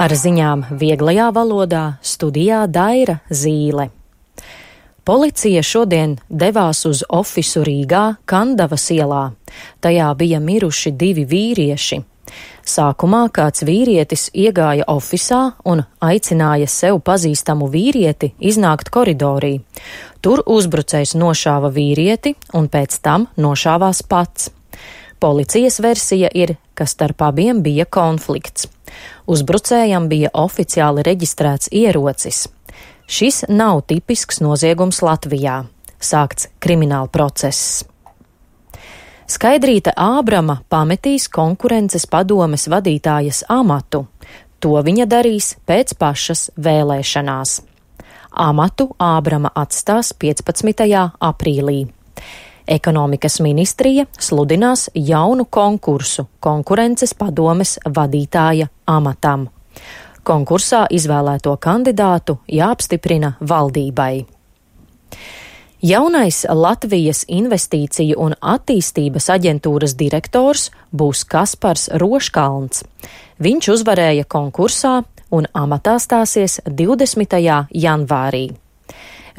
Ar ziņām vieglajā valodā studijā Daira Zīle. Policija šodien devās uz ofisu Rīgā, Kandavas ielā. Tajā bija miruši 2 vīrieši. Sākumā kāds vīrietis iegāja ofisā un aicināja sev pazīstamu vīrieti iznākt koridorī. Tur uzbrucējs nošāva vīrieti un pēc tam nošāvās pats. Policijas versija ir, ka starp abiem bija konflikts. Uzbrucējam bija oficiāli reģistrēts ierocis. Šis nav tipisks noziegums Latvijā. Sākts krimināla process. Skaidrīte Ābrama pametīs konkurences padomes vadītājas amatu. To viņa darīs pēc pašas vēlēšanās. Amatu Ābrama atstās 15. aprīlī. Ekonomikas ministrija sludinās jaunu konkursu konkurences padomes vadītāja amatam. Konkursā izvēlēto kandidātu jāapstiprina valdībai. Jaunais Latvijas investīciju un attīstības aģentūras direktors būs Kaspars Roškalns. Viņš uzvarēja konkursā un amatā stāsies 20. janvārī.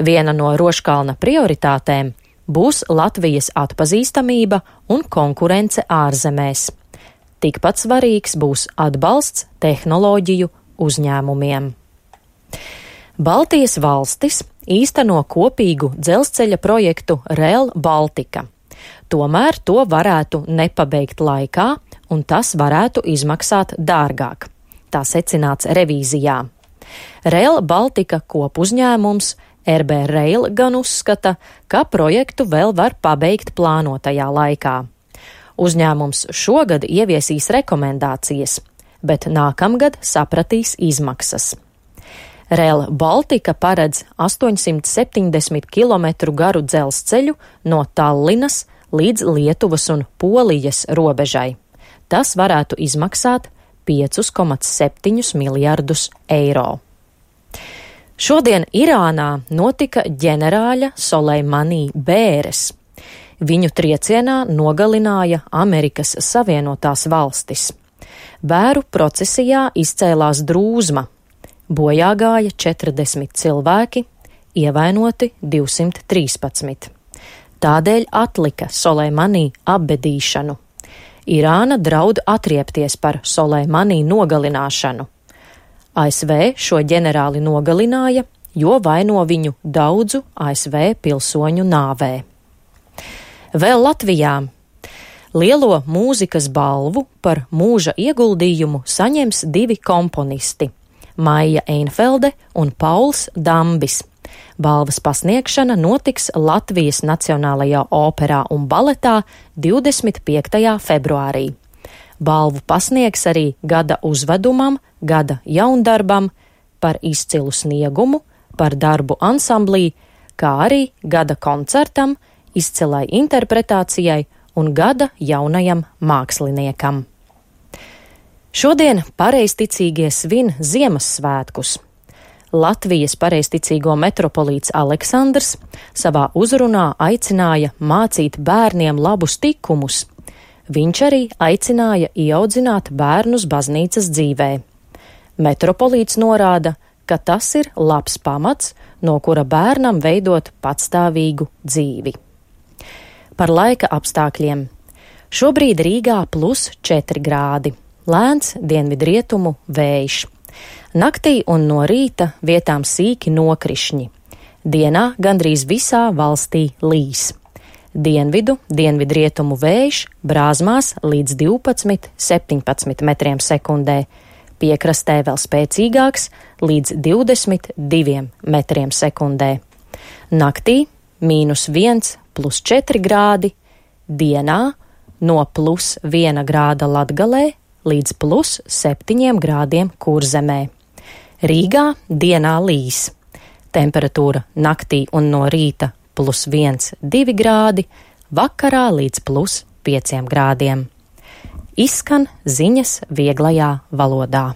Viena no Roškalna prioritātēm būs Latvijas atpazīstamība un konkurence ārzemēs. Tikpat svarīgs būs atbalsts tehnoloģiju uzņēmumiem. Baltijas valstis īsteno kopīgu dzelzceļa projektu Rail Baltica. Tomēr to varētu nepabeigt laikā, un tas varētu izmaksāt dārgāk. Tā secināts revīzijā. Rail Baltica kopuzņēmums RB Rail gan uzskata, ka projektu vēl var pabeigt plānotajā laikā. Uzņēmums šogad ieviesīs rekomendācijas, bet nākamgad sapratīs izmaksas. Rail Baltica paredz 870 km garu dzelzceļu no Tallinas līdz Lietuvas un Polijas robežai. Tas varētu izmaksāt 5,7 miljardus eiro. Šodien Irānā notika ģenerāļa Soleimani bēres. Viņu triecienā nogalināja Amerikas Savienotās valstis. Bēru procesijā izcēlās drūzma. Bojā gāja 40 cilvēki, ievainoti 213. Tādēļ atlika Soleimani apbedīšanu. Irāna draud atriepties par Soleimani nogalināšanu. ASV šo ģenerāli nogalināja, jo vaino viņu daudzu ASV pilsoņu nāvē. Vēl Latvijā lielo mūzikas balvu par mūža ieguldījumu saņems 2 komponisti – Maija Einfelde un Pauls Dambis. Balvas pasniegšana notiks Latvijas Nacionālajā operā un baletā 25. februārī. Balvu pasniegs arī gada uzvedumam, gada jaundarbam, par izcilu sniegumu, par darbu ansamblī, kā arī gada koncertam, izcilai interpretācijai un gada jaunajam māksliniekam. Šodien pareizticīgie svin Ziemassvētkus. Latvijas pareizticīgo metropolīts Aleksandrs savā uzrunā aicināja mācīt bērniem labus tikumus. Viņš arī aicināja ieaudzināt bērnus baznīcas dzīvē. Metropolīts norāda, ka tas ir labs pamats, no kura bērnam veidot patstāvīgu dzīvi. Par laika apstākļiem. Šobrīd Rīgā +4 grādi. Lēns dienvidrietumu vējš. Naktī un no rīta vietām sīki nokrišņi. Dienā gandrīz visā valstī līs. Dienvidrietumu vējš brāzmās līdz 12–17 metriem sekundē. Piekrastē vēl spēcīgāks līdz 22 metriem sekundē. Naktī -1, +4 grādi. Dienā no +1 grāda Latgalē līdz +7 grādiem Kurzemē. Rīgā dienā līs. Temperatūra naktī un no rīta +1–2 grādi, vakarā līdz +5 grādiem. Izskan ziņas vieglajā valodā.